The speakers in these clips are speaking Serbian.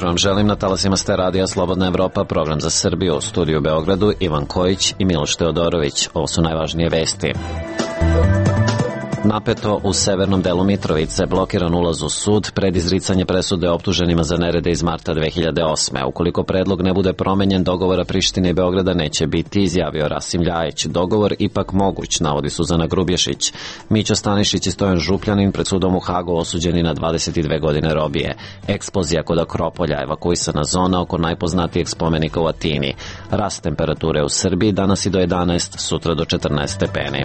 Vam želim na talasima ste radija Slobodna Evropa, program za Srbiju, u studiju u Beogradu Ivan Kojić i Miloš Teodorović. Ovo su najvažnije vesti. Napeto u severnom delu Mitrovice, blokiran ulaz u sud pred izricanje presude optuženima za nerede iz marta 2008. Ukoliko predlog ne bude promenjen, dogovora Prištine i Beograda neće biti, izjavio Rasim Ljajić. Dogovor ipak moguć, navodi Suzana Grubješić. Mića Stanišić i Stojan Župljanin pred sudom u Hagu osuđeni na 22 godine robije. Eksplozija kod Akropolja, evakuisana zona oko najpoznatijeg spomenika u Atini. Rast temperature u Srbiji danas i do 11, sutra do 14 stepeni.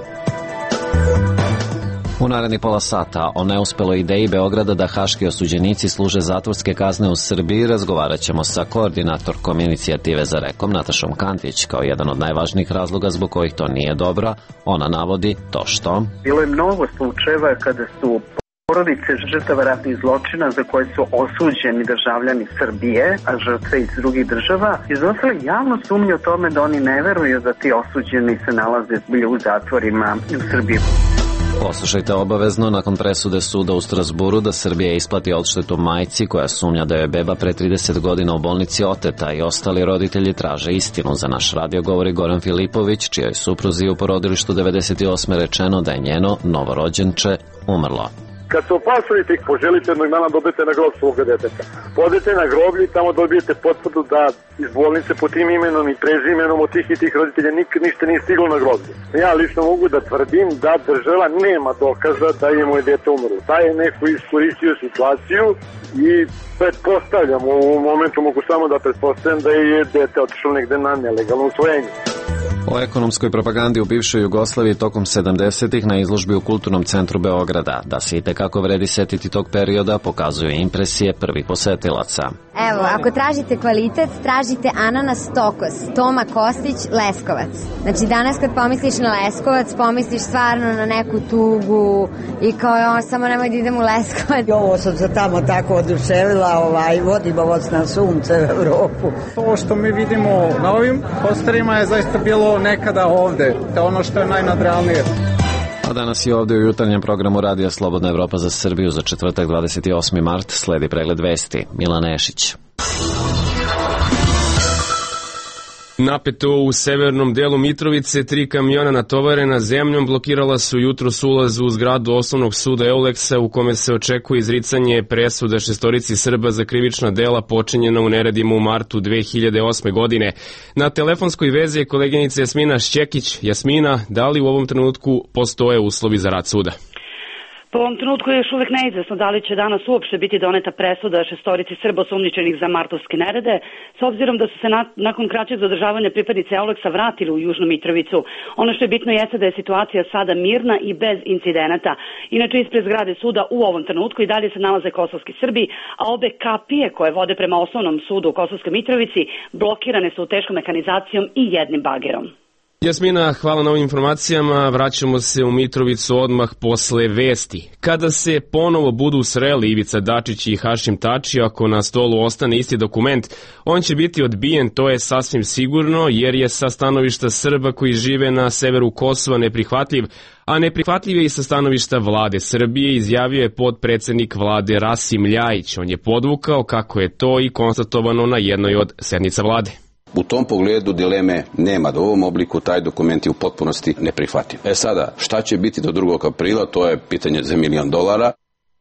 U narednih pola sata o neuspeloj ideji Beograda da haški osuđenici služe zatvorske kazne u Srbiji razgovarat ćemo sa koordinatorkom inicijative za Rekom Natašom Kantić. Kao jedan od najvažnijih razloga zbog kojih to nije dobro, ona navodi to što... Bilo je mnogo slučajeva kada su porodice žrtava ratnih zločina za koje su osuđeni državljani Srbije, a žrtve iz drugih država, iznosili javno sumnju o tome da oni ne veruju da ti osuđeni se nalaze u zatvorima u Srbiji. Poslušajte obavezno nakon presude suda u Strasburu da Srbija isplati odštetu majci koja sumnja da je beba pre 30 godina u bolnici oteta i ostali roditelji traže istinu. Za naš radio govori Goran Filipović, čijoj supruzi u porodilištu 98. rečeno da je njeno novorođenče umrlo. Kad se opasujete i poželite jednog dana dobijete na grob svoga deteta. Podete na groblje i tamo dobijete potvrdu da iz bolnice po tim imenom i prezimenom od tih i tih roditelja nikad ništa nije stiglo na groblje. Ja lično mogu da tvrdim da država nema dokaza da je moje dete umrlo. Taj je neko iskoristio situaciju i pretpostavljam, u ovom momentu mogu samo da pretpostavljam da je dete otišlo negde na nelegalno usvojenje. O ekonomskoj propagandi u bivšoj Jugoslaviji tokom 70-ih na izložbi u Kulturnom centru Beograda. Da se itekako vredi setiti tog perioda pokazuju impresije prvih posetilaca. Evo, ako tražite kvalitet, tražite ananas Tokos, Toma Kostić, Leskovac. Znači danas kad pomisliš na Leskovac, pomisliš stvarno na neku tugu i kao samo nemoj da idem u Leskovac. Ovo sam se tamo tako oduševila, vodimo vas na sunce u Evropu. To što mi vidimo na ovim posterima je zaista bilo nekada ovde, to je ono što je najnadrealnije. A danas je ovde u jutarnjem programu Radija Slobodna Evropa za Srbiju za četvrtak 28. mart sledi pregled vesti. Milan Nešić. Napeto u severnom delu Mitrovice, 3 kamiona natovarena zemljom blokirala su jutros ulaz u zgradu osnovnog suda Euleksa u kome se očekuje izricanje presuda 6 Srba za krivična dela počinjena u neredima u martu 2008. godine. Na telefonskoj vezi je koleginica Jasmina Šćekić. Jasmina, da li u ovom trenutku postoje uslovi za rad suda? Po ovom trenutku je još uvek neizvesno da li će danas uopšte biti doneta presuda 6 Srba osumnjičenih za martovske nerede, s obzirom da su se nakon kraćeg zadržavanja pripadnice Euleksa vratili u Južnu Mitrovicu. Ono što je bitno jeste da je situacija sada mirna i bez incidenata. Inače, ispred zgrade suda u ovom trenutku i dalje se nalaze kosovski Srbi, a obe kapije koje vode prema osnovnom sudu u Kosovskoj Mitrovici blokirane su teškom mehanizacijom i jednim bagerom. Jasmina, hvala na ovim informacijama. Vraćamo se u Mitrovicu odmah posle vesti. Kada se ponovo budu sreli Ivica Dačić i Hašim Tači, ako na stolu ostane isti dokument, on će biti odbijen, to je sasvim sigurno, jer je sa stanovišta Srba koji žive na severu Kosova neprihvatljiv, a neprihvatljiv je i sa stanovišta vlade Srbije, izjavio je potpredsednik vlade Rasim Ljajić. On je podvukao kako je to i konstatovano na jednoj od sednica vlade. U tom pogledu dileme nema, da u ovom obliku taj dokument je u potpunosti neprihvatljiv. Sada, šta će biti do 2. aprila, to je pitanje za $1 milion.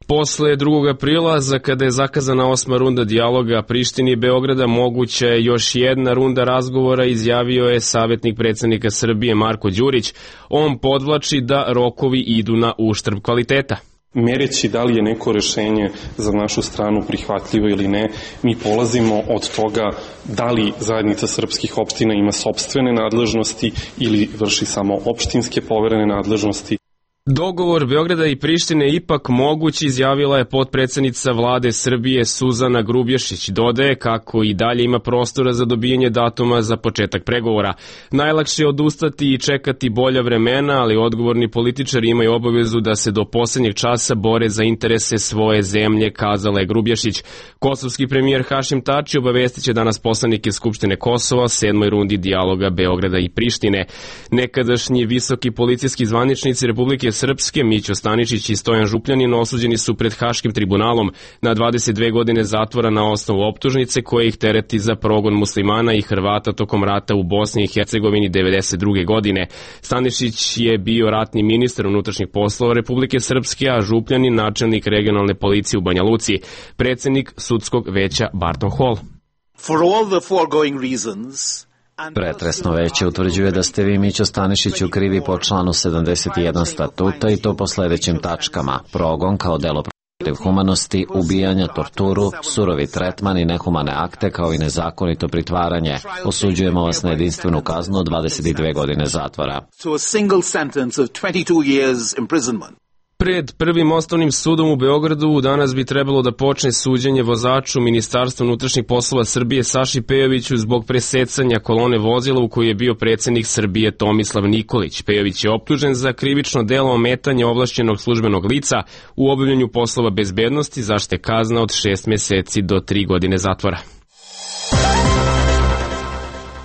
Posle 2. aprila, za kada je zakazana 8. runda dijaloga Prištini i Beograda, moguća je još jedna runda razgovora, izjavio je savjetnik predsjednika Srbije Marko Đurić. On podvlači da rokovi idu na uštrb kvaliteta. Mereći da li je neko rešenje za našu stranu prihvatljivo ili ne, mi polazimo od toga da li zajednica srpskih opština ima sopstvene nadležnosti ili vrši samo opštinske poverene nadležnosti. Dogovor Beograda i Prištine ipak moguć, izjavila je potpredsednica vlade Srbije Suzana Grubješić. Dodaje kako i dalje ima prostora za dobijanje datuma za početak pregovora. Najlakše je odustati i čekati bolja vremena, ali odgovorni političari imaju obavezu da se do poslednjeg časa bore za interese svoje zemlje, kazala je Grubješić. Kosovski premijer Hašim Tači obavestiće danas poslanike Skupštine Kosova o 7. rundi dijaloga Beograda i Prištine. Nekadašnji visoki policijski zvaničnici Republike Srpske, Mićo Staničić i Stojan Župljanin, osuđeni su pred Haškim tribunalom na 22 godine zatvora na osnovu optužnice koje ih tereti za progon muslimana i Hrvata tokom rata u Bosni i Hercegovini 1992. godine. Staničić je bio ratni ministar unutrašnjih poslova Republike Srpske, a Župljanin načelnik regionalne policije u Banja Luci, predsednik sudskog veća Barton Hall. For all the foregoing reasons, Pretresno veće utvrđuje da ste vi, Mićo Stanišiću, krivi po članu 71 statuta i to po sledećim tačkama: progon kao delo protiv humanosti, ubijanja, torturu, surovi tretman i nehumane akte kao i nezakonito pritvaranje. Osuđujemo vas na jedinstvenu kaznu od 22 godine zatvora. Pred prvim osnovnim sudom u Beogradu danas bi trebalo da počne suđenje vozaču Ministarstva unutrašnjih poslova Srbije Saši Pejoviću zbog presecanja kolone vozila u kojoj je bio predsednik Srbije Tomislav Nikolić. Pejović je optužen za krivično delo ometanja ovlašćenog službenog lica u obavljanju poslova bezbednosti, za što je kazna od 6 meseci do 3 godine zatvora.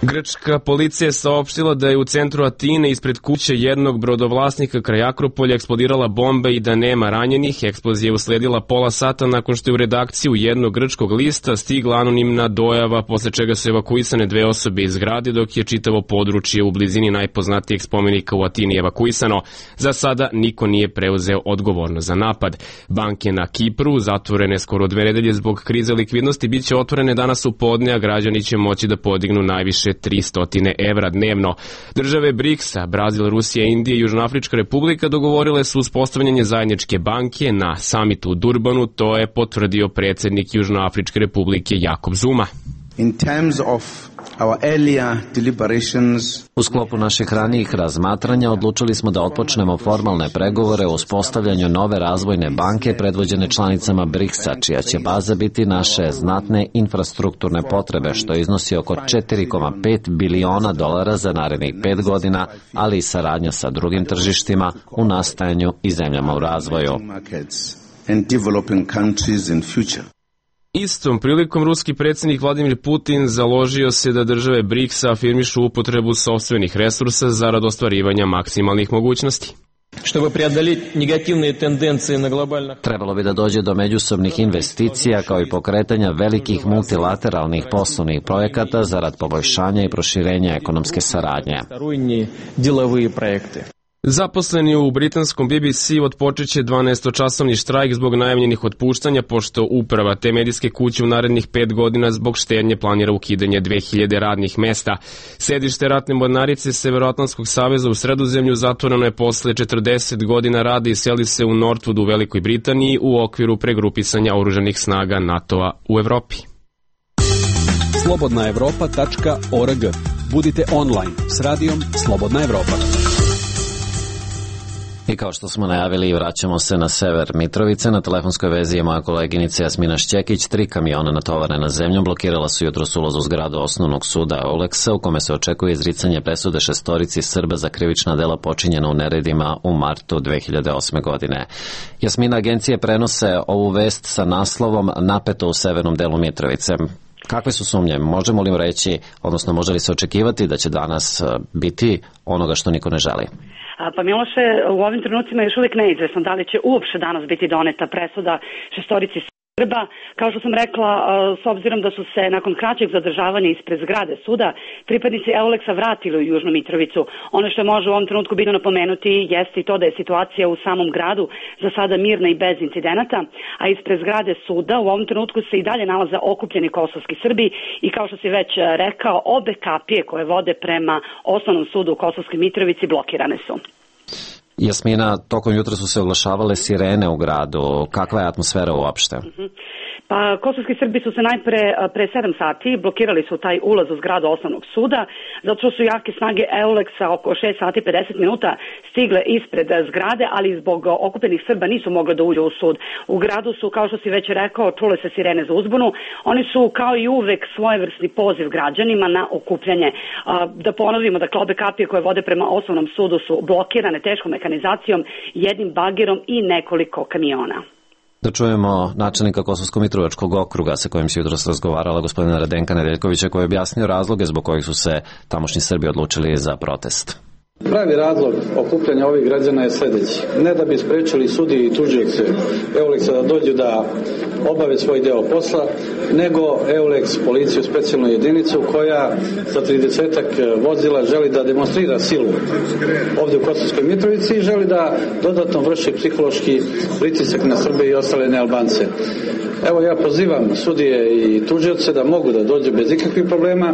Grčka policija je saopštila da je u centru Atine ispred kuće jednog brodovlasnika kraj Akropolja eksplodirala bomba i da nema ranjenih. Eksplozija je usledila pola sata nakon što je u redakciju jednog grčkog lista stigla anonimna dojava, posle čega su evakuisane 2 osobe iz zgrade, dok je čitavo područje u blizini najpoznatijeg spomenika u Atini evakuisano. Za sada niko nije preuzeo odgovornost za napad. Banke na Kipru, zatvorene skoro 2 nedelje zbog krize likvidnosti, biće otvorene danas u podne, a građani će moći da podignu najviše 300 evra dnevno. Države BRICS-a, Brazil, Rusija, Indija i Južnoafrička republika dogovorile su uspostavljanje zajedničke banke na samitu u Durbanu, to je potvrdio predsednik Južnoafričke republike Jakob Zuma. U sklopu naših ranijih razmatranja odlučili smo da otpočnemo formalne pregovore o uspostavljanju nove razvojne banke predvođene članicama BRICS-a, čija će baza biti naše znatne infrastrukturne potrebe, što iznosi oko 4,5 biliona dolara za narednih 5 godina, ali i saradnja sa drugim tržištima u nastajanju i zemljama u razvoju. Istom prilikom ruski predsednik Vladimir Putin založio se da države BRICS-a afirmišu upotrebu sopstvenih resursa zarad ostvarivanja maksimalnih mogućnosti. Trebalo bi da dođe do međusobnih investicija kao i pokretanja velikih multilateralnih poslovnih projekata zarad poboljšanja i proširenja ekonomske saradnje. Zaposleni u britanskom BBC otpočeće 12-časovni štrajk zbog najavljenih otpuštanja, pošto uprava te medijske kuće u narednih 5 godina zbog štednje planira ukidanje 2000 radnih mesta. Sedište ratne mornarice Severoatlantskog saveza u Sredozemlju zatvoreno je posle 40 godina rada i seli se u Northwood u Velikoj Britaniji u okviru pregrupisanja oružanih snaga NATO-a u Evropi. slobodnaevropa.org. Budite online s radijom Slobodna Evropa. I kao što smo najavili, vraćamo se na sever Mitrovice. Na telefonskoj vezi je moja koleginica Jasmina Šćekić. 3 kamiona natovarena zemljom blokirala su jutros ulaz u zgradu osnovnog suda Oleksa, u kome se očekuje izricanje presude 6 Srba za krivična dela počinjena u neredima u martu 2008. godine. Jasmina, agencije prenose ovu vest sa naslovom "Napeto u severnom delu Mitrovice". Kakve su sumnje? Možemo li reći, odnosno može li se očekivati da će danas biti onoga što niko ne želi? Pa Miloše, u ovim trenucima još uvijek neizvesno da li će uopšte danas biti doneta presuda 6 Srba. Kao što sam rekla, s obzirom da su se nakon kraćeg zadržavanja ispred zgrade suda pripadnici Euleksa vratili u Južnu Mitrovicu. Ono što može u ovom trenutku bitno napomenuti jeste i to da je situacija u samom gradu za sada mirna i bez incidenata, a ispred zgrade suda u ovom trenutku se i dalje nalaze okupljeni kosovski Srbi i kao što si već rekao, obe kapije koje vode prema osnovnom sudu u Kosovskoj Mitrovici blokirane su. Jasmina, tokom jutra su se oglašavale sirene u gradu. Kakva je atmosfera uopšte? Pa kosovski Srbi su se najpre pre 7 sati blokirali su taj ulaz u zgradu osnovnog suda, zato što su jake snage EULEX-a oko 6 sati 50 minuta stigle ispred zgrade, ali zbog okupljenih Srba nisu mogli da uđu u sud. U gradu su, kao što si već rekao, čule se sirene za uzbunu. Oni su kao i uvek svojevrsni poziv građanima na okupljanje. Da ponovimo, dakle, obe kapije koje vode prema osnovnom sudu su blokirane teškom mehanizacijom, jednim bagerom i nekoliko kamiona. Da čujemo načelnika Kosovsko-Mitrovačkog okruga sa kojim se jutros razgovarala gospodina Radenka Nedeljkovića, koji je objasnio razloge zbog kojih su se tamošnji Srbi odlučili za protest. Pravi razlog okupljanja ovih građana je sljedeći. Ne da bi sprečili sudije i tužioce EULEX-a da dođu da obave svoj deo posla, nego EULEX, policiju, specijalnu jedinicu koja sa 30-ak vozila želi da demonstrira silu ovdje u Kosovskoj Mitrovici i želi da dodatno vrši psihološki pritisak na Srbe i ostale nealbance. Evo, ja pozivam sudije i tužioce da mogu da dođu bez ikakvih problema,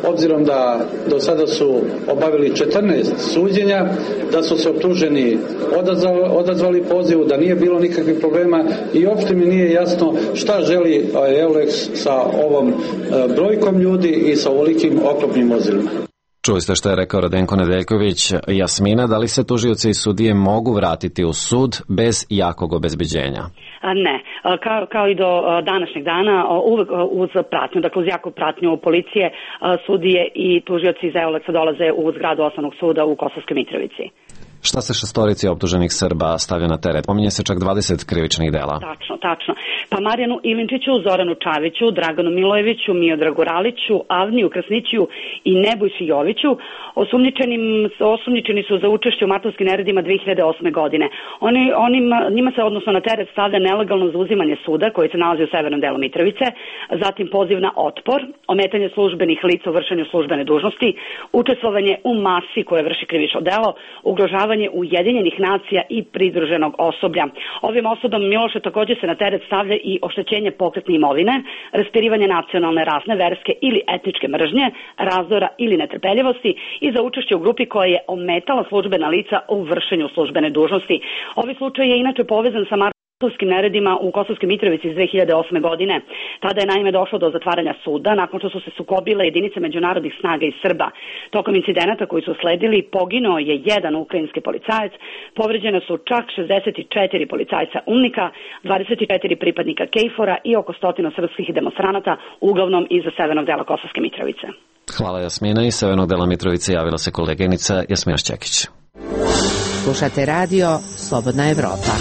obzirom da do sada su obavili 14 suđenja, da su se optuženi odazvali pozivu, da nije bilo nikakvih problema i uopšte mi nije jasno šta želi EULEX sa ovom brojkom ljudi i sa ovolikim oklopnim vozilima. Čuli ste što je rekao Radenko Nedeljković. Jasmina, da li se tužioci i sudije mogu vratiti u sud bez jakog obezbeđenja? Ne, kao i do današnjeg dana, uvek uz pratnju, dakle uz jaku pratnju policije, sudije i tužioci iz EULEX-a dolaze u zgradu osnovnog suda u Kosovskoj Mitrovici. Šta se šestorici optuženih Srba stavlja na teret? Pominje se čak 20 krivičnih dela. Tačno. Pa Marijanu Ilinčiću, Zoranu Čaviću, Draganu Milojeviću, Miodragu Raliću, Avniju Krasnićiju i Nebojši Joviću osumnjičeni su za učešće u martovskim neredima 2008. godine. Njima se odnosno na teret stavlja nelegalno zauzimanje suda koji se nalazi u severnom delu Mitrovice, zatim poziv na otpor, ometanje službenih lica u vršenju službene dužnosti, učestvovanje u masi koje vrši krivično delo, ugrožavanje Ujedinjenih nacija i pridruženog osoblja. Ovim osudom Miloše također se na teret stavlja i oštećenje pokretne imovine, raspirivanje nacionalne, rasne, verske ili etničke mržnje, razdora ili netrpeljivosti i za učešće u grupi koja je ometala službena lica u vršenju službene dužnosti. Ovaj slučaj je inače povezan sa martovskim neredima u Kosovskoj Mitrovici iz 2008. godine. Tada je naime došlo do zatvaranja suda nakon što su se sukobile jedinice međunarodnih snaga iz Srba. Tokom incidenata koji su sledili poginuo je jedan ukrajinski policajac, povređene su čak 64 policajca UNMIK-a, 24 pripadnika KFOR-a i oko 100 srpskih demonstranata, uglavnom iz severnog dela Kosovske Mitrovice. Hvala Jasmina. Iz severnog dela Mitrovice javila se koleginica Jasmina Šćekić. Slušate radio Slobodna Evropa.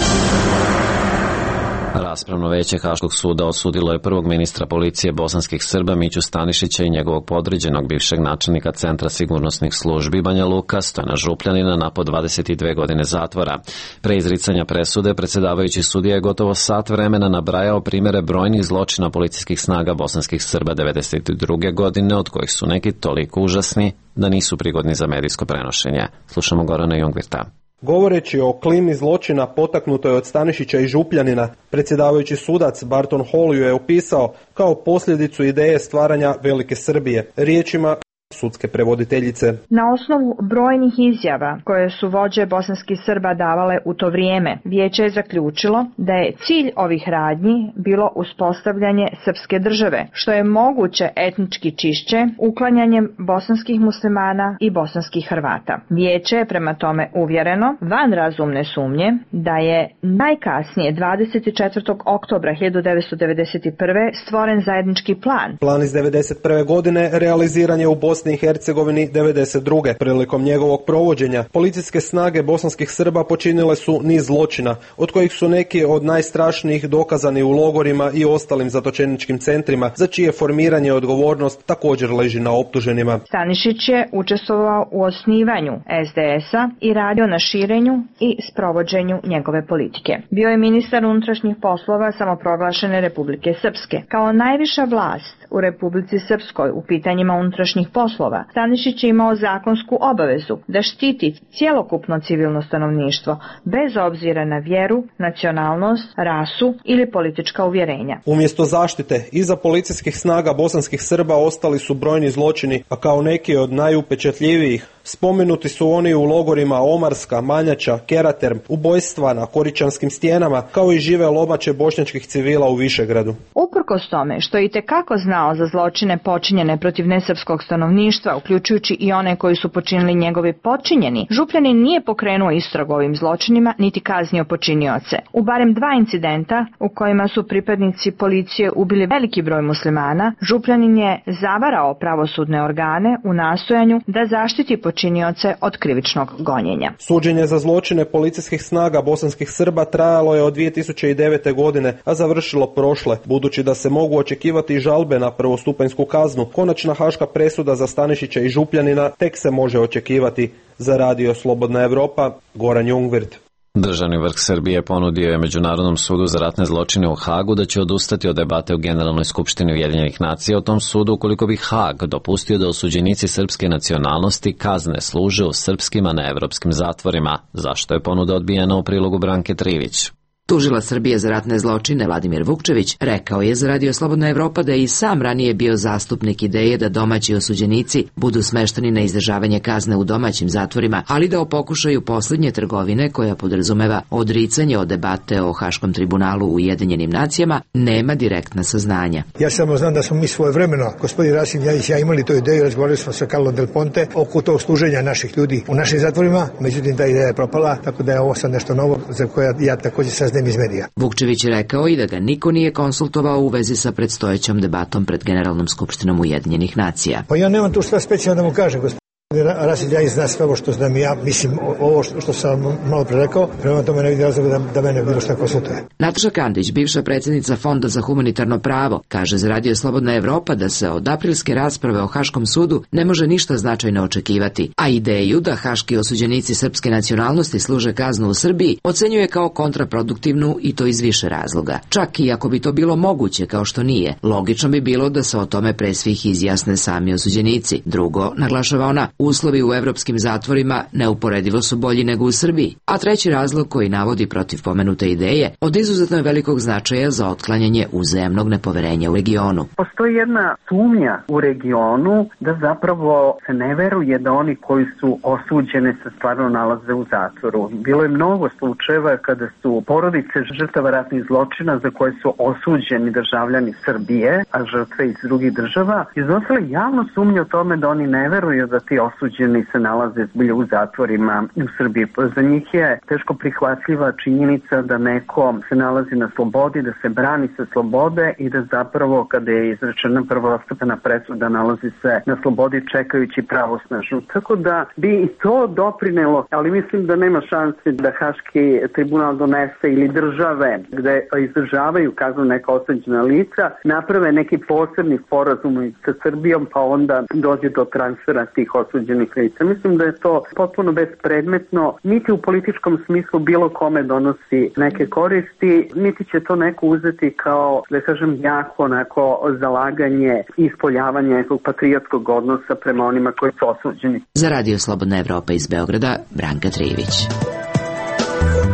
Raspravno veće Haškog suda osudilo je prvog ministra policije bosanskih Srba Miću Stanišića i njegovog podređenog bivšeg načelnika Centra sigurnosnih službi Banja Luka Stojana Župljanina na po 22 godine zatvora. Pre izricanja presude predsjedavajući sudija je gotovo sat vremena nabrajao primere brojnih zločina policijskih snaga bosanskih Srba 1992. godine, od kojih su neki toliko užasni da nisu prigodni za medijsko prenošenje. Slušamo Gorana Jungvirta. Govoreći o klimi zločina potaknutoj od Stanišića i Župljanina, predsjedavajući sudac Barton Hall ju je opisao kao posljedicu ideje stvaranja Velike Srbije. Riječima sudske prevoditeljice. Na osnovu brojnih izjava koje su vođe bosanskih Srba davale u to vrijeme, vijeće je zaključilo da je cilj ovih radnji bilo uspostavljanje srpske države, što je moguće etnički čišće uklanjanjem bosanskih muslimana i bosanskih Hrvata. Vijeće je prema tome uvjereno, van razumne sumnje, da je najkasnije 24. oktobra 1991. stvoren zajednički plan. Plan iz 1991. godine realiziran je u Bosni i Hercegovini 1992. Prilikom njegovog provođenja, policijske snage bosanskih Srba počinile su niz zločina, od kojih su neki od najstrašnijih dokazani u logorima i ostalim zatočeničkim centrima, za čije formiranje odgovornost također leži na optuženima. Stanišić je učestvovao u osnivanju SDS-a i radio na širenju i sprovođenju njegove politike. Bio je ministar unutrašnjih poslova samoproglašene Republike Srpske. Kao najviša vlast u Republici Srpskoj u pitanjima unutrašnjih poslova, Stanišić je imao zakonsku obavezu da štiti cjelokupno civilno stanovništvo, bez obzira na vjeru, nacionalnost, rasu ili politička uvjerenja. Umjesto zaštite, iza policijskih snaga bosanskih Srba ostali su brojni zločini, a kao neki od najupečatljivijih Spomenuti su oni u logorima Omarska, Manjača, Keraterm, ubojstva na Koričanskim stijenama, kao i žive lomače bošnjačkih civila u Višegradu. Uprkos tome što je itekako znao za zločine počinjene protiv nesrpskog stanovništva, uključujući i one koji su počinili njegovi podčinjeni, Župljanin nije pokrenuo istragu ovim zločinima niti kaznio počinioce. U barem 2 incidenta u kojima su pripadnici policije ubili veliki broj muslimana, Župljanin je zavarao pravosudne organe u nastojanju da zaštiti počinioce od krivičnog gonjenja. Suđenje za zločine policijskih snaga bosanskih Srba trajalo je od 2009. godine, a završilo prošle. Budući da se mogu očekivati žalbe na prvostupanjsku kaznu, konačna haška presuda za Stanišića i Župljanina tek se može očekivati. Za Radio Slobodna Evropa, Goran Jungwirth. Državni vrh Srbije ponudio je Međunarodnom sudu za ratne zločine u Hagu da će odustati od debate u Generalnoj skupštini Ujedinjenih nacija o tom sudu ukoliko bi Hag dopustio da osuđenici srpske nacionalnosti kazne služe u srpskim, a ne evropskim zatvorima, zašto je ponuda odbijena u prilogu Branke Trivić. Tužilac Srbije za ratne zločine Vladimir Vukčević rekao je za Radio Slobodna Evropa da je i sam ranije bio zastupnik ideje da domaći osuđenici budu smešteni na izdržavanje kazne u domaćim zatvorima, ali da o pokušaju posljednje trgovine koja podrazumeva odricanje od debate o Haškom tribunalu u Ujedinjenim nacijama nema direktna saznanja. Ja samo znam da smo mi svojevremeno, gospodin Rasim Ljajić i ja, imali tu ideju, razgovarali smo sa Carlo Del Ponte oko tog služenja naših ljudi u našim zatvorima, međutim ta ideja je propala, tako da je ovo sad nešto novo za koje ja također saznajem iz medija. Vukčević je rekao i da ga niko nije konsultovao u vezi sa predstojećom debatom pred Generalnom skupštinom Ujedinjenih nacija. Pa ja nemam tu šta specijalno da mu kažem, gospodin Rasim Ljajić zna sve ovo što znam i ja, mislim ovo što sam malo pre rekao, prema tome ne vidim razloga da mene bilo šta konsultuje. Nataša Kandić, bivša predsjednica Fonda za humanitarno pravo, kaže za Radio Slobodna Evropa da se od aprilske rasprave o Haškom sudu ne može ništa značajno očekivati, a ideju da haški osuđenici srpske nacionalnosti služe kaznu u Srbiji ocenjuje kao kontraproduktivnu i to iz više razloga. Čak i ako bi to bilo moguće, kao što nije, logično bi bilo da se o tome pre svih izjasne sami osuđenici. Drugo, naglašava ona, uslovi u evropskim zatvorima neuporedivo su bolji nego u Srbiji. A treći razlog koji navodi protiv pomenute ideje od izuzetno je velikog značaja za otklanjanje uzajamnog nepoverenja u regionu. Postoji jedna sumnja u regionu da zapravo se ne veruje da oni koji su osuđeni se stvarno nalaze u zatvoru. Bilo je mnogo slučajeva kada su porodice žrtava ratnih zločina za koje su osuđeni državljani Srbije, a žrtve iz drugih država, iznosile javno sumnje o tome da oni ne veruju da ti osuđeni se nalaze zbilja u zatvorima u Srbiji. Za njih je teško prihvatljiva činjenica da neko se nalazi na slobodi, da se brani sa slobode i da zapravo kada je izrečena prvostepena presuda nalazi se na slobodi čekajući pravosnažnu. Tako da bi i to doprinelo, ali mislim da nema šanse da Haški tribunal donese ili države gde izdržavaju kaznu neka osuđena lica naprave neki posebni sporazum sa Srbijom pa onda dođe do transfera tih osuđenih lica. Mislim da je to potpuno bespredmetno, niti u političkom smislu bilo kome donosi neke koristi, niti će to neko uzeti kao, da kažem, jako onako zalaganje i ispoljavanje nekog patriotskog odnosa prema onima koji su osuđeni. Za Radio Slobodna Evropa iz Beograda, Branka Trivić.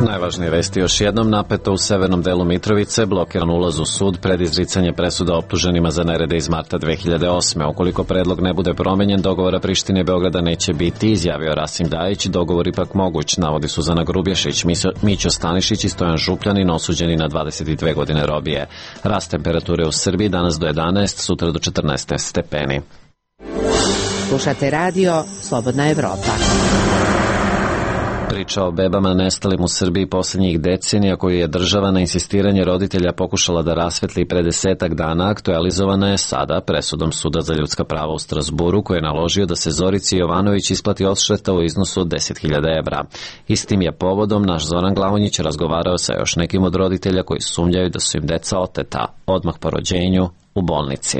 Najvažnije vesti još jednom: napeto u severnom delu Mitrovice, blokiran ulaz u sud pred izricanje presuda optuženima za nerede iz marta 2008. Ukoliko predlog ne bude promenjen, dogovora Prištine i Beograda neće biti, izjavio Rasim Ljajić. Dogovor ipak moguć, navodi Suzana Grubješić, Mićo Stanišić i Stojan Župljanin, osuđeni na 22 godine robije. Rast temperature u Srbiji danas do 11, sutra do 14 stepeni. Slušate Radio Slobodna Evropa. Priča o bebama nestalim u Srbiji posljednjih decenija, koju je država na insistiranje roditelja pokušala da rasvetli pre 10 dana, aktualizovana je sada presudom Suda za ljudska prava u Strasburu, koji je naložio da se Zorici Jovanović isplati odšteta u iznosu od 10.000 evra. Istim je povodom naš Zoran Glavonjić razgovarao sa još nekim od roditelja koji sumnjaju da su im deca oteta odmah po rođenju u bolnici.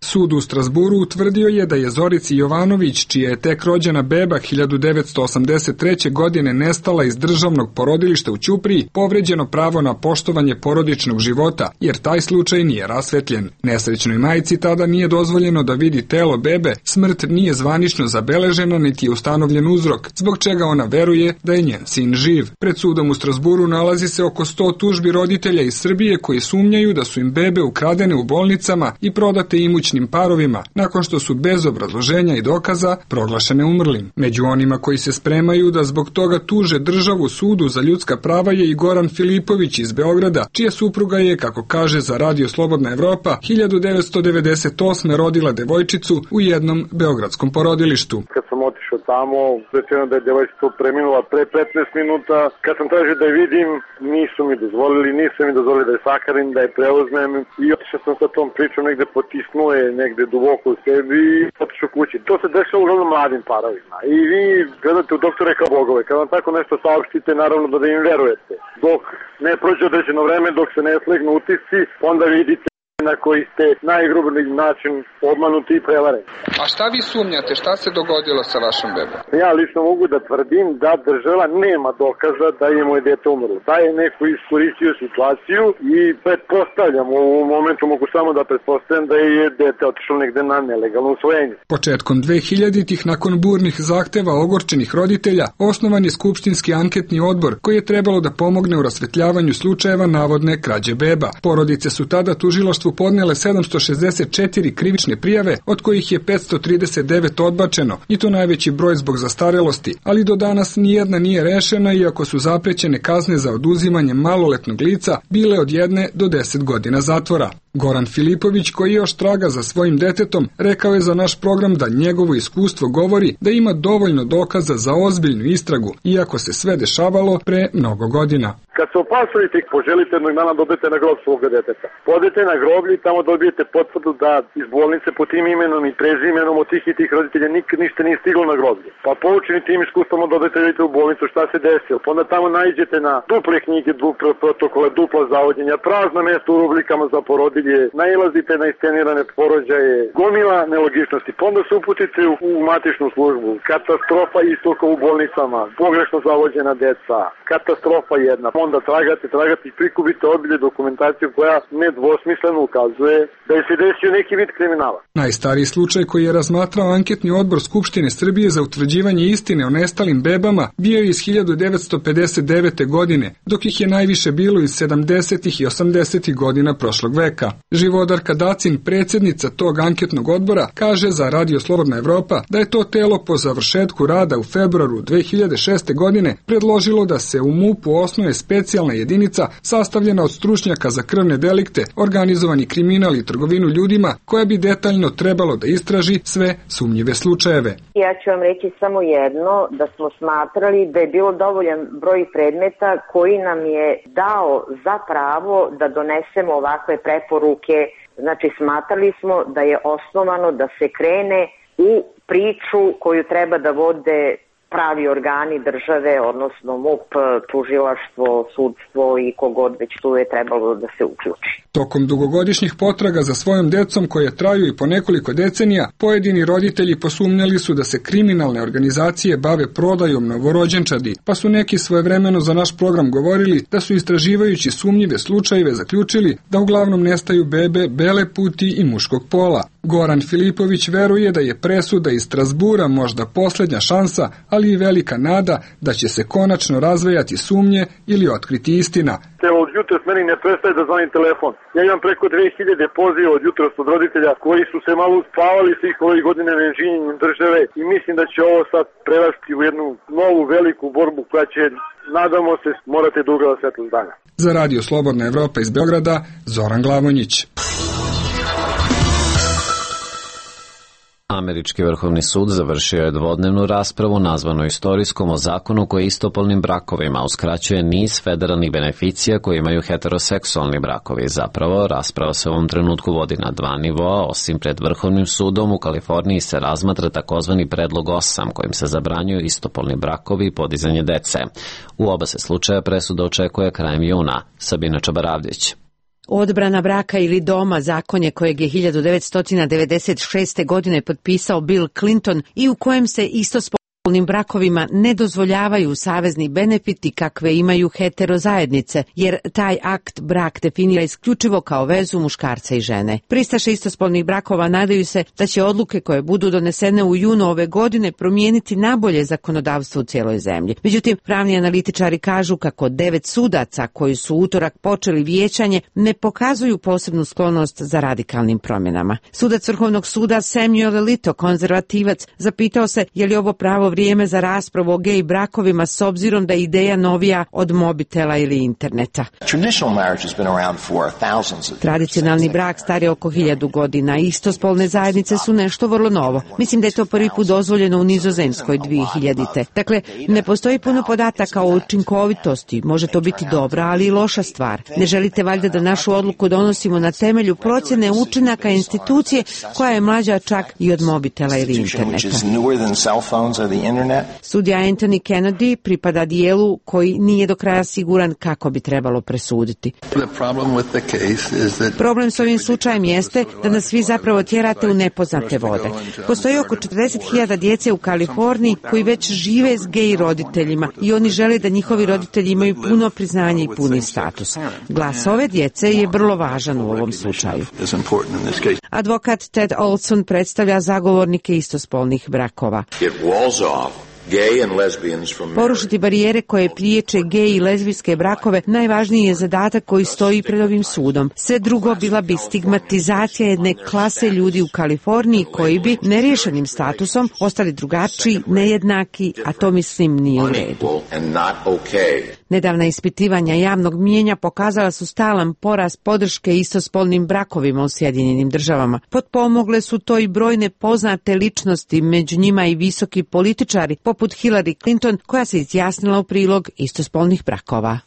Sud u Strasburu utvrdio je da je Zorici Jovanović, čija je tek rođena beba 1983. godine nestala iz državnog porodilišta u Ćupriji, povređeno pravo na poštovanje porodičnog života, jer taj slučaj nije rasvetljen. Nesrećnoj majci tada nije dozvoljeno da vidi telo bebe, smrt nije zvanično zabeležena niti je ustanovljen uzrok, zbog čega ona veruje da je njen sin živ. Pred sudom u Strasburu nalazi se oko 100 tužbi roditelja iz Srbije koji sumnjaju da su im bebe ukradene u bolnicama i prodate imućne bračnim parovima nakon što su bez obrazloženja i dokaza proglašene umrlim. Među onima koji se spremaju da zbog toga tuže državu sudu za ljudska prava je i Goran Filipović iz Beograda, čija supruga je, kako kaže za Radio Slobodna Evropa, 1998. rodila devojčicu u jednom beogradskom porodilištu. Kad sam otišao tamo, rečeno da je devojčica preminula pre 15 minuta. Kad sam tražio da je vidim, nisu mi dozvolili da je sakarim, da je preuzmem i otišao sam sa tom pričom, negde potisnuo je negde duboko u sebi i otišao kući. To se dešava uglavnom mladim parovima. I vi gledate u doktore kao bogove. Kad vam tako nešto saopštite, naravno da im verujete. Dok ne prođe određeno vreme, dok se ne slegnu utisci, onda vidite na koji ste najgrublji način obmanuti i prevareni. A šta vi sumnjate? Šta se dogodilo sa vašom bebom? Ja lično mogu da tvrdim da država nema dokaza da je moje dete umrlo. Da je neko iskoristio situaciju i pretpostavljam, u ovom momentu mogu samo da pretpostavljam da je dete otišlo negde na nelegalno usvojenje. Početkom 2000-ih, nakon burnih zahteva ogorčenih roditelja, osnovan je skupštinski anketni odbor koji je trebalo da pomogne u rasvetljavanju slučajeva navodne krađe beba. Porodice su tada tužilaštvu podnele 764 krivične prijave, od kojih je 539 odbačeno, i to najveći broj zbog zastarelosti, ali do danas nijedna nije rešena, iako su zaprećene kazne za oduzimanje maloletnog lica bile od 1 do 10 godina zatvora. Goran Filipović, koji još traga za svojim detetom, rekao je za naš program da njegovo iskustvo govori da ima dovoljno dokaza za ozbiljnu istragu, iako se sve dešavalo pre mnogo godina. Kad se opasujete i poželite jednog dana dobijete na grob svoga deteta. Podete na groblje i tamo dobijete potvrdu da iz bolnice po tim imenom i prezimenom od tih i tih roditelja nikad ništa nije stiglo na groblje. Pa poučeni tim iskustvom dobijete u bolnicu šta se desilo. Pa onda tamo nađete na duple knjige, duple protokole, dupla zavodnjenja, prazna mesta u rubrikama za porodilje, nailazite na iscenirane porođaje, gomila nelogičnosti. Pa onda se uputite u matičnu službu. Katastrofa istoka u bolnicama, pogrešno zavođena deca, katastrofa jedna. Onda tragate i prikupite obilje dokumentaciju koja nedvosmisleno ukazuje da je se desio neki vid kriminala. Najstariji slučaj koji je razmatrao anketni odbor Skupštine Srbije za utvrđivanje istine o nestalim bebama bio je iz 1959. godine, dok ih je najviše bilo iz 70. i 80. godina prošlog veka. Živodarka Dacin, predsjednica tog anketnog odbora, kaže za Radio Slobodna Evropa da je to telo po završetku rada u februaru 2006. godine predložilo da se u MUP-u osnuje specijalna jedinica sastavljena od stručnjaka za krvne delikte, organizovani kriminal i trgovinu ljudima, koja bi detaljno trebalo da istraži sve sumnjive slučajeve. Ja ću vam reći samo jedno, da smo smatrali da je bilo dovoljan broj predmeta koji nam je dao za pravo da donesemo ovakve preporuke. Znači, smatrali smo da je osnovano da se krene u priču koju treba da vode pravi organi države, odnosno MUP, tužilaštvo, sudstvo i kogod već tu je trebalo da se uključi. Tokom dugogodišnjih potraga za svojom decom, koje traju i po nekoliko decenija, pojedini roditelji posumnjali su da se kriminalne organizacije bave prodajom novorođenčadi, pa su neki svojevremeno za naš program govorili da su istraživajući sumnjive slučajeve zaključili da uglavnom nestaju bebe bele puti i muškog pola. Goran Filipović veruje da je presuda iz Strasbura možda posljednja šansa, ali i velika nada da će se konačno razvejati sumnje ili otkriti istina. Od jutros meni ne prestaje da zvonim telefon. Ja imam preko 2000 poziva od jutros od roditelja koji su se malo uspavali svih ovih godina nečinjenjem države i mislim da će ovo sad prerasti u jednu novu veliku borbu koja će, nadamo se, morate da ugleda svetlost dana. Za Radio Slobodna Evropa iz Beograda, Zoran Glavonjić. Američki vrhovni sud završio je dvodnevnu raspravu nazvanu istorijskom o zakonu koji istopolnim brakovima uskraćuje niz federalnih beneficija koje imaju heteroseksualni brakovi. Zapravo, rasprava se u ovom trenutku vodi na dva nivoa, osim pred vrhovnim sudom u Kaliforniji se razmatra takozvani predlog 8 kojim se zabranjuju istopolni brakovi i podizanje dece. U oba se slučaja presuda očekuje krajem juna. Sabina Čabaravljić. Odbrana braka ili doma, zakonje kojeg je 1996. godine potpisao Bill Clinton i u kojem se istospolnim istospolnim brakovima ne dozvoljavaju savezni benefiti kakve imaju heterozajednice, jer taj akt brak definira isključivo kao vezu muškarca i žene. Pristaše istospolnih brakova nadaju se da će odluke koje budu donesene u junu ove godine promijeniti nabolje zakonodavstvo u cijeloj zemlji. Međutim, pravni analitičari kažu kako 9 sudaca koji su utorak počeli vijećanje ne pokazuju posebnu sklonost za radikalnim promjenama. Sudac Vrhovnog suda Samuel Alito, konzervativac, zapitao se je li ovo pravo vrijeme za raspravu o gej brakovima s obzirom da je ideja novija od mobitela ili interneta. Tradicionalni brak star je oko 1000 godina. Istospolne zajednice su nešto vrlo novo. Mislim da je to prvi put dozvoljeno u Nizozemskoj 2000. Dakle, ne postoji puno podataka o učinkovitosti. Može to biti dobra, ali i loša stvar. Ne želite valjda da našu odluku donosimo na temelju procjene učinaka institucije koja je mlađa čak i od mobitela ili interneta. Sudija Anthony Kennedy pripada dijelu koji nije do kraja siguran kako bi trebalo presuditi. Problem s ovim slučajem jeste da nas svi zapravo tjerate u nepoznate vode. Postoji oko 40.000 djece u Kaliforniji koji već žive s gej roditeljima i oni žele da njihovi roditelji imaju puno priznanje i puni status. Glas ove djece je vrlo važan u ovom slučaju. Advokat Ted Olson predstavlja zagovornike istospolnih brakova. Porušiti barijere koje priječe gej i lezbijske brakove najvažniji je zadatak koji stoji pred ovim sudom. Sve drugo bila bi stigmatizacija jedne klase ljudi u Kaliforniji koji bi neriješenim statusom ostali drugačiji, nejednaki, a to mislim nije u redu. Nedavna ispitivanja javnog mijenja pokazala su stalan porast podrške istospolnim brakovima u Sjedinjenim Državama. Potpomogle su to i brojne poznate ličnosti, među njima i visoki političari, poput Hillary Clinton, koja se izjasnila u prilog istospolnih brakova.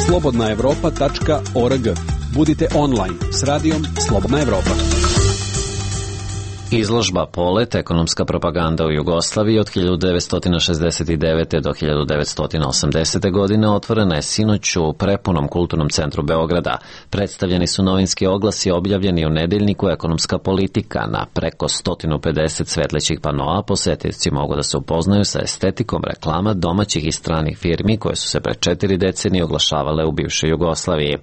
slobodnaevropa.org. Budite online s radijom Slobodna Evropa. Izložba Polet, ekonomska propaganda u Jugoslaviji od 1969. do 1980. godine otvorena je sinoć u prepunom kulturnom centru Beograda. Predstavljeni su novinski oglasi objavljeni u nedeljniku Ekonomska politika. Na preko 150 svetlećih panoa posetioci mogu da se upoznaju sa estetikom reklama domaćih i stranih firmi koje su se pre 4 decenije oglašavale u bivšoj Jugoslaviji.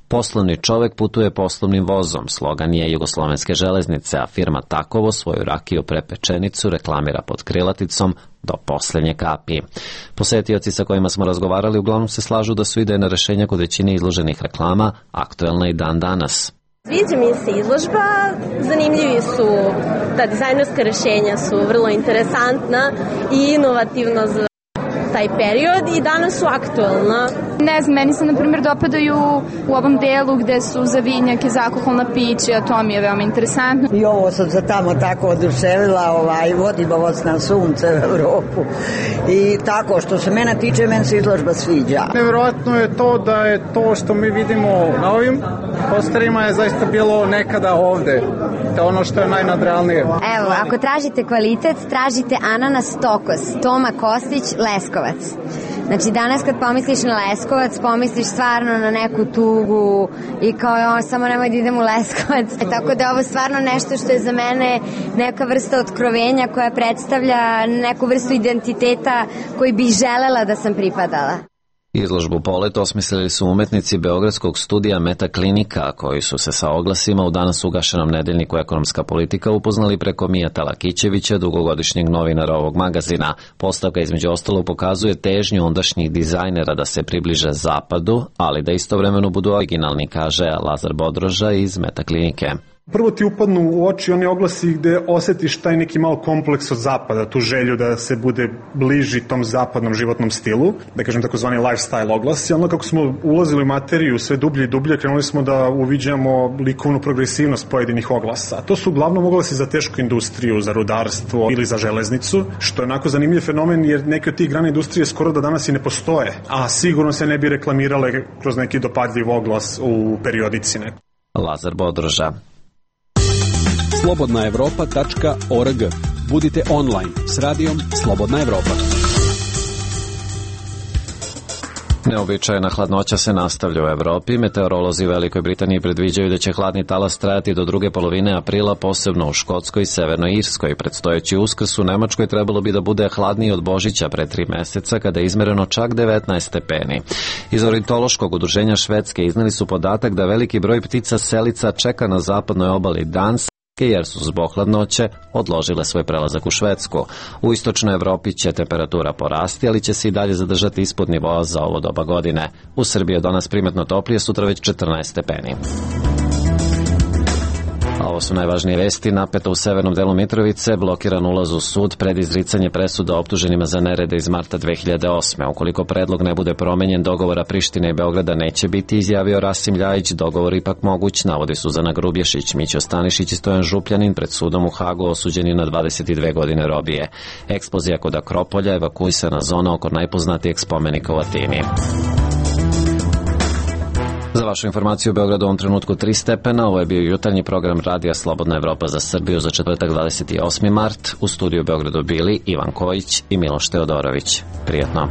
Poslovni čovek putuje poslovnim vozom, slogan je Jugoslovenske železnice, a firma Takovo svoju rakiju prepečenicu reklamira pod krilaticom do poslednje kapi. Posetioci sa kojima smo razgovarali uglavnom se slažu da su idejna rešenja kod većine izloženih reklama aktuelna i dan danas. Sviđa mi se izložba, zanimljivi su, ta dizajnerska rešenja su vrlo interesantna i inovativna za taj period i danas su aktuelna. Ne znam, meni se na primjer dopadaju u ovom delu gde su za vinjake, zakuholna pića, to mi je veoma interesantno. I ovo sam se tamo tako oduševila, vodimo vas na sunce u Evropu. I tako, što se mene tiče, meni se izložba sviđa. Nevjerojatno je to da je to što mi vidimo na ovim posterima je zaista bilo nekada ovde. To je ono što je najnadrealnije. Evo, ako tražite kvalitet, tražite ananas Tokos, Toma Kostić, Leskovac. Znači danas kad pomisliš na Leskovac, pomisliš stvarno na neku tugu i kao samo nemoj da idem u Leskovac. Tako da je ovo stvarno nešto što je za mene neka vrsta otkrovenja koja predstavlja neku vrstu identiteta koji bih želela da sam pripadala. Izložbu Polet osmislili su umetnici Beogradskog studija Metaklinika, koji su se sa oglasima u danas ugašenom nedeljniku Ekonomska politika upoznali preko Mijata Lakićevića, dugogodišnjeg novinara ovog magazina. Postavka između ostalog pokazuje težnju ondašnjih dizajnera da se približe zapadu, ali da istovremeno budu originalni, kaže Lazar Bodroža iz Metaklinike. Prvo ti upadnu u oči oni oglasi gde osetiš taj neki malo kompleks od zapada, tu želju da se bude bliži tom zapadnom životnom stilu, da kažem takozvani lifestyle oglasi. Ono kako smo ulazili u materiju sve dublje i dublje, krenuli smo da uviđamo likovnu progresivnost pojedinih oglasa. To su uglavnom oglasi za tešku industriju, za rudarstvo ili za železnicu, što je onako zanimljiv fenomen jer neke od tih grana industrije skoro da danas i ne postoje, a sigurno se ne bi reklamirale kroz neki dopadljiv oglas u periodici. Lazar Bodroža. slobodnaevropa.org. Budite online s radijom Slobodna Evropa. Neobičajna hladnoća se nastavlja u Evropi. Meteorolozi u Velikoj Britaniji predviđaju da će hladni talas trajati do druge polovine aprila, posebno u Škotskoj i Severnoj Irskoj. Predstojeći Uskrs u Nemačkoj trebalo bi da bude hladniji od Božića pre 3 meseca, kada je izmereno čak 19 stepeni. Iz ornitološkog udruženja Švedske izneli su podatak da veliki broj ptica selica čeka na zapadnoj obali Danske, jer su zbog hladnoće odložile svoj prelazak u Švedsku. U istočnoj Evropi će temperatura porasti, ali će se i dalje zadržati ispod nivoa za ovo doba godine. U Srbiji je danas primetno toplije, sutra već 14 stepeni. A ovo su najvažnije vesti. Napeto u severnom delu Mitrovice, blokiran ulaz u sud pred izricanje presuda optuženima za nerede iz marta 2008. Ukoliko predlog ne bude promenjen, dogovora Prištine i Beograda neće biti, izjavio Rasim Ljajić. Dogovor ipak moguć, navodi Suzana Grubješić. Mićo Stanišić i Stojan Župljanin pred sudom u Hagu osuđeni na 22 godine robije. Eksplozija kod Akropolja, evakuisana zona oko najpoznatijeg spomenika u Atini. Za vašu informaciju, u Beogradu u ovom trenutku 3 stepena. Ovo je bio jutarnji program Radija Slobodna Evropa za Srbiju za četvrtak 28. mart. U studiju u Beogradu bili Ivan Kojić i Miloš Teodorović. Prijatno.